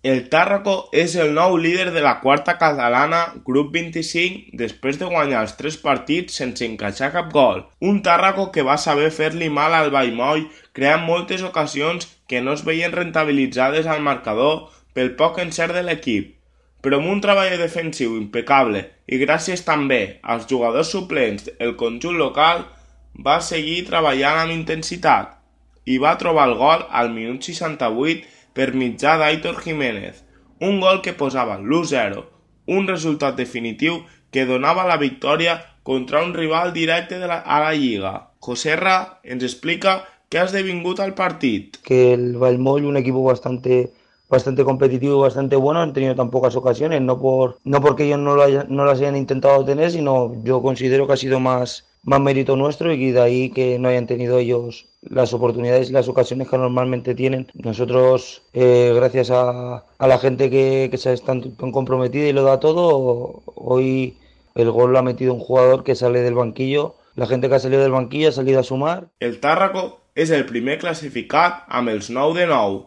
El Tàrraco és el nou líder de la quarta catalana, grup 25, després de guanyar els 3 partits sense encaixar cap gol. Un Tàrraco que va saber fer-li mal al Vallmoll, creant moltes ocasions que no es veien rentabilitzades al marcador pel poc encert de l'equip. Però amb un treball defensiu impecable i gràcies també als jugadors suplents, el conjunt local va seguir treballant amb intensitat i va trobar el gol al minut 68 per mitjà d'Aitor Jiménez, un gol que posava l'1-0, un resultat definitiu que donava la victòria contra un rival directe a la Lliga. Joserra ens explica què ha esdevingut al partit. Que el Valmoll, un equipo bastante competitivo y bastante bueno, han tenido tan pocas ocasiones, no porque ellos no las hayan intentado tener, sino yo considero que ha sido más mérito nuestro y de ahí que no hayan tenido ellos las oportunidades y las ocasiones que normalmente tienen. Nosotros, gracias a la gente que se está tan comprometida y lo da todo, hoy el gol lo ha metido un jugador que sale del banquillo. La gente que ha salido del banquillo ha salido a sumar. El Tàrraco és el primer classificat amb els 9 de 9.